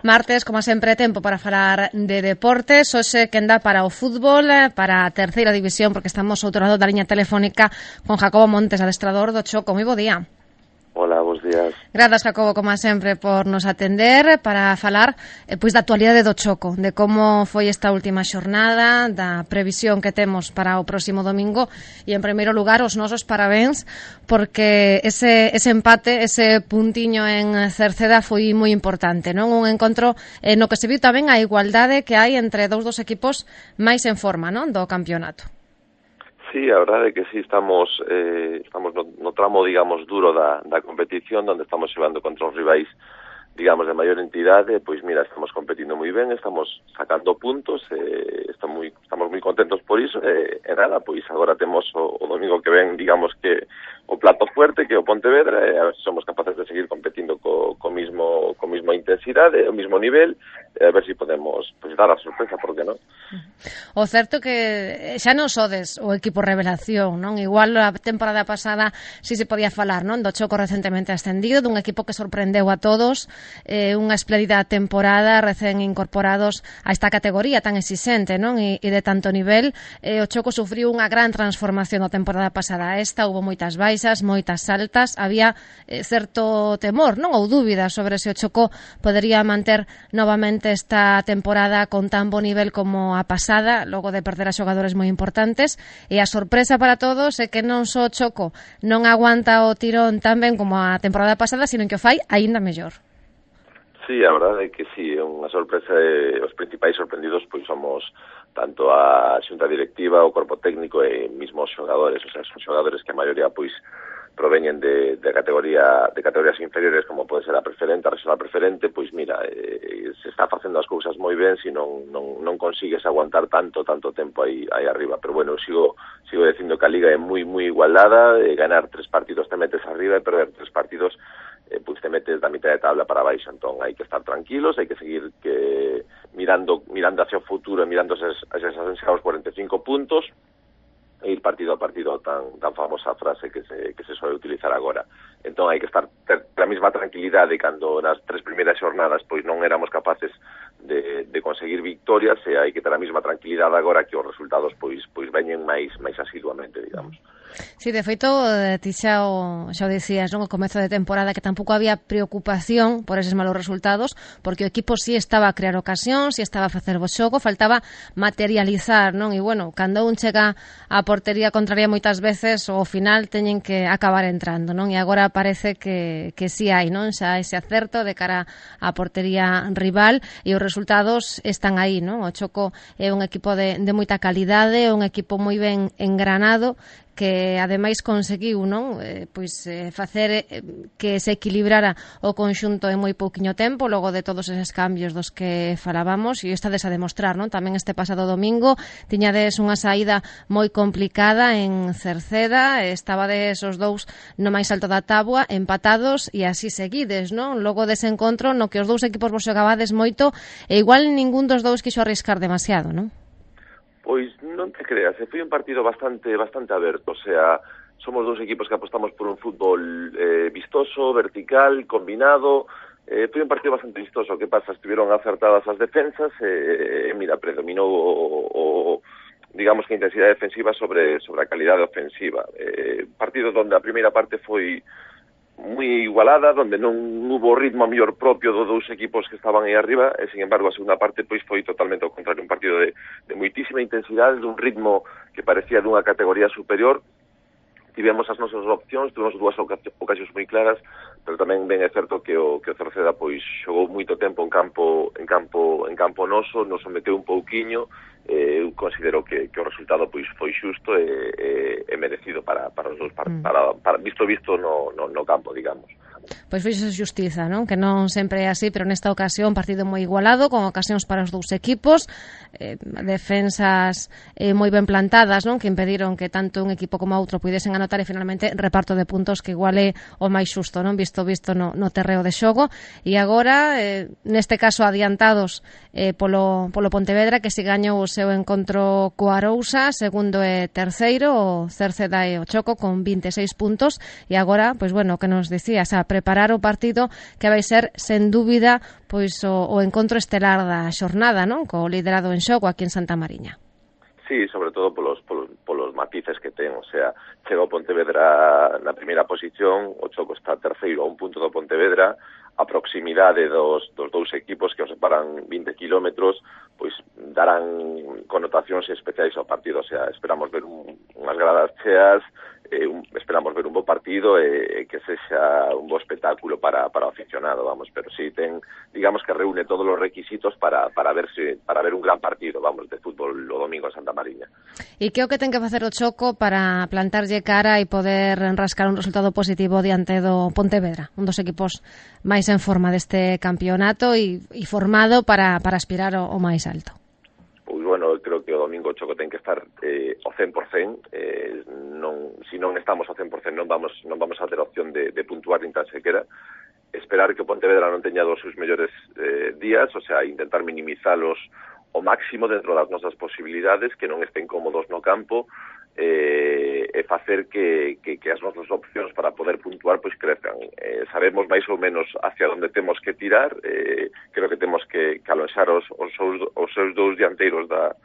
Martes, como sempre, tempo para falar de deportes. Hoxe quen dá para o fútbol, para a terceira división, porque estamos ao outro lado da liña telefónica con Jacobo Montes, adestrador do Choco. Moi bo día. Hola, bons días. Grazas, Jacobo, como sempre, por nos atender para falar pois da actualidade do Choco, de como foi esta última xornada, da previsión que temos para o próximo domingo e, en primeiro lugar, os nosos parabéns porque ese empate, ese puntiño en Cerceda foi moi importante, non? Un encontro no que se viu tamén a igualdade que hai entre dos equipos máis en forma, non? Do campeonato. Sí, a verdade é que sí, estamos no tramo, digamos, duro da competición, onde estamos xogando contra os rivais, digamos, de maior entidade. Pois mira, estamos competindo moi ben, estamos sacando puntos, estamos moi contentos por iso, e nada, pois agora temos o domingo que ven, digamos que o plato fuerte, que é o Pontevedra, e a ver se somos capaces de seguir competindo co misma intensidade, o mismo nivel, e a ver se podemos pois dar a sorpresa, por que non? O certo que xa non sodes o equipo revelación, non? Igual a temporada pasada si se podía falar, non? Do Choco recentemente ascendido, dun equipo que sorprendeu a todos, unha espléndida temporada, recén incorporados a esta categoría tan exixente, non? E de tanto nivel, o Choco sufriu unha gran transformación a temporada pasada. Esta hubo moitas baixas, moitas altas, había certo temor, non? Ou dúbidas sobre se o Choco podería manter novamente esta temporada con tan bo nivel como a pasada, logo de perder a xogadores moi importantes, e a sorpresa para todos é que non só o Choco non aguanta o tirón tan ben como a temporada pasada, sino que o fai aínda mellor. Sí, a verdade é que sí, é unha sorpresa. Os principais sorprendidos pois somos tanto a xunta directiva, o corpo técnico e mismos xogadores. O sea, son xogadores que a maioría pois proveñen de categorías inferiores, como pode ser a preferente, a regional preferente. Pois mira, se está facendo as cousas moi ben, se non consigues aguantar tanto tempo aí arriba. Pero bueno, sigo dicindo que a liga é moi igualada, ganar 3 partidos te metes arriba e perder 3 partidos pois te metes da mitad de tabla para baixo. Entón hai que estar tranquilos, hai que seguir mirando hacia o futuro e mirando esos 45 puntos e ir partido a partido, tan famosa frase que se suele utilizar agora. Entón hai que ter a mesma tranquilidade cando nas 3 primeiras xornadas pois non éramos capaces de conseguir victorias, e hai que ter a mesma tranquilidade agora que os resultados pois veñen máis asiduamente, digamos. Sí, de feito, ti xa o dicías, non? O comezo de temporada, que tampouco había preocupación por eses malos resultados, porque o equipo sí estaba a crear ocasións, sí estaba a facer bo xogo, faltaba materializar, non? E, bueno, cando un chega á portería contraria moitas veces, ao final teñen que acabar entrando, non? E agora parece que sí hai, non? Xa ese acerto de cara á portería rival, e os resultados están aí, non? O Choco é un equipo de moita calidade, un equipo moi ben engranado, que ademais conseguiu, non? Facer que se equilibrara o conxunto en moi pouquiño tempo, logo de todos eses cambios dos que falábamos, e estades a demostrar, non? Tamén este pasado domingo tiñades unha saída moi complicada en Cerceda, estabades os dous no máis alto da táboa, empatados, e así seguides, non? Logo dese encontro no que os dous equipos vos xogabades moito, e igual ningún dos dous quixo arriscar demasiado, non? Pois non te creas, foi un partido bastante aberto. O sea, somos dous equipos que apostamos por un fútbol vistoso, vertical, combinado. Foi un partido bastante vistoso. Que pasa? Estuvieron acertadas as defensas, mira, predominou digamos que a intensidade defensiva sobre a calidade ofensiva. Partido donde a primeira parte foi moi igualada, donde non hubo ritmo mellor propio dos dous equipos que estaban aí arriba, e, sin embargo, a segunda parte pois foi totalmente ao contrario, un partido de moitísima intensidade, dun ritmo que parecía dunha categoría superior. Tivemos as nosas opcións, tuvemos 2 ocasións moi claras, pero tamén ben é certo que o Cerceda pois xogou moito tempo en campo noso, nos someteu un pouquiño. Eu considero que o resultado pois foi xusto e merecido para os dous, para visto no campo, digamos. Pois fixo xustiza, non? Que non sempre é así, pero nesta ocasión partido moi igualado, con ocasións para os dous equipos, defensas moi ben plantadas, non? Que impediron que tanto un equipo como outro puidesen anotar, e finalmente reparto de puntos que igual é o máis xusto, non? Visto isto visto no terreo de xogo, e agora, neste caso adiantados polo Pontevedra, que se gañou o seu encontro co Arousa, segundo e terceiro, o Cerceda e o Choco con 26 puntos, e agora, pois bueno, que nos dicías, a preparar o partido que vai ser, sen dúbida, pois o encontro estelar da xornada, non? Co liderado en xogo aquí en Santa Mariña. Sí, sobre todo polos matices que ten, o sea, chega o Pontevedra na primeira posición, o Choco está terceiro a un punto do Pontevedra, a proximidade dos dous equipos que os separan 20 kilómetros, pois darán connotacións especiais ao partido, o sea, esperamos ver unhas gradas cheas, esperamos ver un bo partido e que sexa un bo espectáculo para o aficionado, vamos, pero sí digamos que reúne todos os requisitos para ver un gran partido, vamos, de fútbol o domingo en Santa Mariña. E que é o que ten que facer o Choco para plantarlle cara e poder rascar un resultado positivo diante do Pontevedra, un dos equipos máis en forma deste campeonato e formado para aspirar ao máis alto? Pois, bueno, creo que o domingo o Choco ten que estar ao 100%, se non estamos ao 100% non vamos a ter opción de puntuar nin tan sequera. Esperar que o Pontevedra non teña dos seus mellores días, o sea, intentar minimizalos o máximo dentro das nosas posibilidades, que non estén cómodos no campo, e facer que as nosas opcións para poder puntuar pois crezcan. Sabemos máis ou menos hacia onde temos que tirar, creo que temos que alonxar os seus dous dianteiros da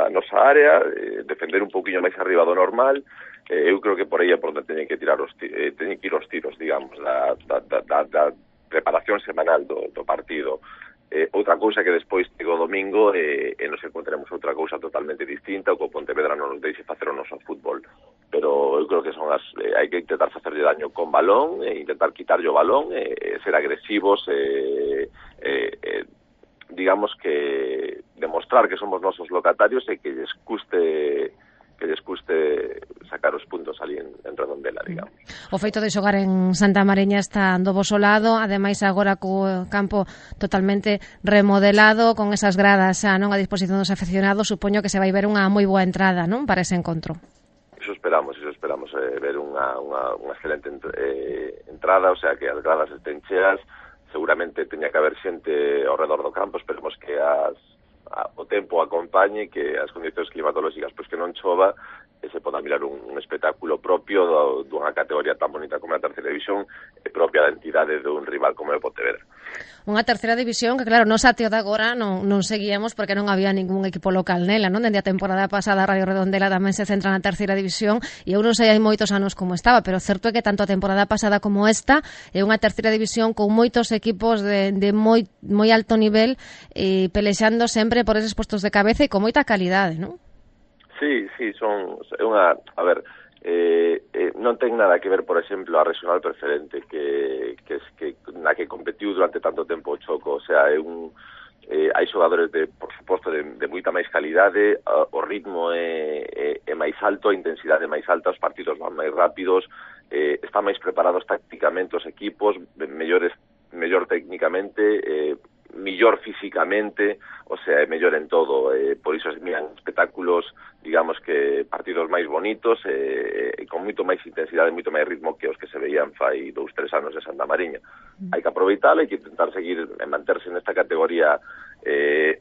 nosa área, defender un pouquiño máis arriba do normal. Eu creo que por aí é por onde teñen que ir os tiros, digamos, da preparación semanal do partido. Outra cousa que despois chega o domingo e nos encontremos outra cousa totalmente distinta, o que o Pontevedra non nos deixe facer o noso fútbol, pero eu creo que son hai que intentar facerlle daño con balón, intentar quitarlle o balón, ser agresivos, digamos que demostrar que somos nosos locatarios e que lles custe sacar os puntos ali en Redondela, digamos. O feito de xogar en Santa Mariña está do voso lado, ademais agora co campo totalmente remodelado, con esas gradas xa non a disposición dos aficionados, supoño que se vai ver unha moi boa entrada, non, para ese encontro. Eso esperamos, ver unha excelente entrada, o sea, que as gradas estén cheas, seguramente teña que haber xente ao redor do campo, esperemos que o tempo acompañe, que as condicións climatolóxicas pois que non chova e se poda mirar un espectáculo propio dunha categoría tan bonita como a terceira división e propia da entidade dun rival como é o Pontevedra. Unha terceira división que, claro, nos ateo de agora non seguíamos porque non había ningún equipo local nela, non? Dende a temporada pasada a Radio Redondela tamén se centra na terceira división e eu non sei hai moitos anos como estaba, pero certo é que tanto a temporada pasada como esta é unha terceira división con moitos equipos de moi alto nivel e pelexando sempre por eses postos de cabeza e con moita calidade, non? Sí, son unha... A ver, non ten nada que ver, por exemplo, a regional preferente na que competiu durante tanto tempo o Choco, o sea, hai xogadores por suposto de moita máis calidade, o ritmo é máis alto, a intensidade é máis alta, os partidos van máis rápidos, están máis preparados tácticamente os equipos, mellor técnicamente, millor físicamente, o sea, é mellor en todo, por iso se miran espectáculos, digamos que partidos máis bonitos, con moito máis intensidade, moito máis ritmo que os que se veían fai 2-3 anos de Santa Mariña. Hai que aproveitalo, hai que intentar seguir manterse nesta categoría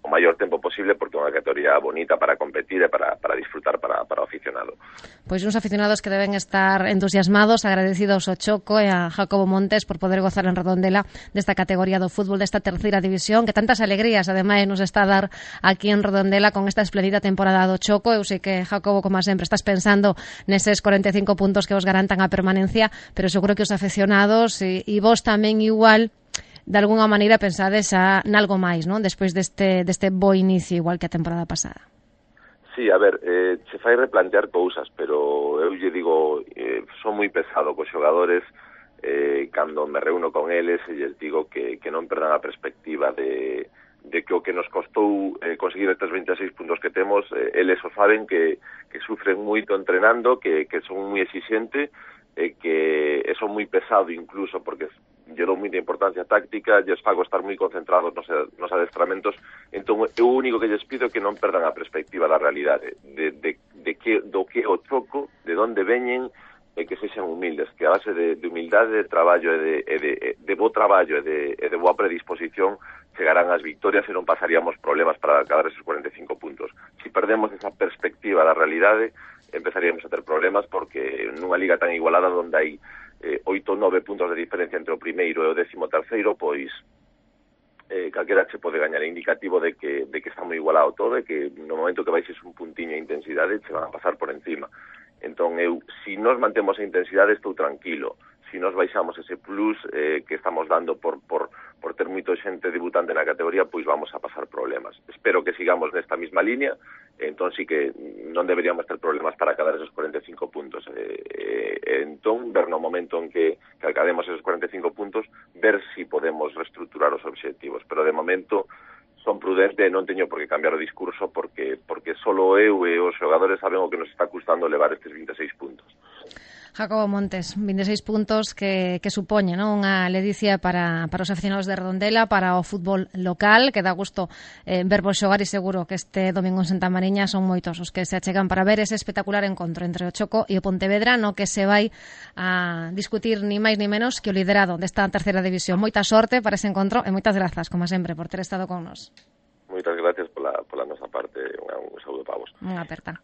o maior tempo posible, porque é unha categoría bonita para competir e para disfrutar para o aficionado. Pois uns aficionados que deben estar entusiasmados, agradecidos ao Choco e a Jacobo Montes por poder gozar en Redondela desta categoría do fútbol, desta terceira división, que tantas alegrías ademais nos está a dar aquí en Redondela con esta espléndida temporada do Choco. Eu sei que, Jacobo, como sempre, estás pensando neses 45 puntos que os garantan a permanencia, pero seguro que os aficionados e vos tamén igual de alguna maneira pensades nalgo máis, non? Despois deste bo inicio, igual que a temporada pasada. Sí, a ver, se fai replantear cousas, pero eu lle digo, son moi pesado cos xogadores, cando me reúno con eles e lles digo que non perdan a perspectiva de que o que nos costou conseguir estes 26 puntos que temos, eles o saben que sufren moito entrenando, que son moi exixente, que son moi pesado incluso, porque lle dou moita importancia táctica, lles fago estar moi concentrados nos adestramentos. Entón, o único que lles pido é que non perdan a perspectiva da realidade, do que o Choco, de onde veñen, e que sexan humildes, que a base de humildade, de traballo e de bo traballo e de boa predisposición chegarán as victorias e non pasaríamos problemas para acabar esos 45 puntos. Si perdemos esa perspectiva da realidade, empezaríamos a ter problemas porque nunha liga tan igualada onde hai 8 ou 9 puntos de diferencia entre o primeiro e o 13º, pois calquera che pode gañar. É indicativo de que está moi igualado todo e que no momento que baixes un puntiño de intensidade che van a pasar por encima. Entón, si nos mantemos a intensidade, estou tranquilo. Si nos baixamos ese plus que estamos dando por ter moito xente debutante na categoría, pois vamos a pasar problemas. Espero que sigamos nesta mesma línea, entón sí que non deberíamos ter problemas para acadar esos 45 puntos. Entón, ver no momento en que academos esos 45 puntos, ver si podemos reestructurar os obxectivos. Pero de momento son prudente e non teño por que cambiar o discurso porque solo eu e os xogadores saben o que nos está custando levar estes 26 puntos. Jacobo Montes, 26 puntos que supoñen, non, unha ledicia para os aficionados de Redondela, para o fútbol local, que dá gusto vervos xogar e seguro que este domingo en Santa Mariña son moitos os que se achegan para ver ese espectacular encontro entre o Choco e o Pontevedra, no que se vai a discutir ni máis ni menos que o liderado desta terceira división. Moita sorte para ese encontro e moitas grazas, como sempre, por ter estado con nos. Moitas gracias pola nosa parte. Un saúdo para vos. Unha aperta.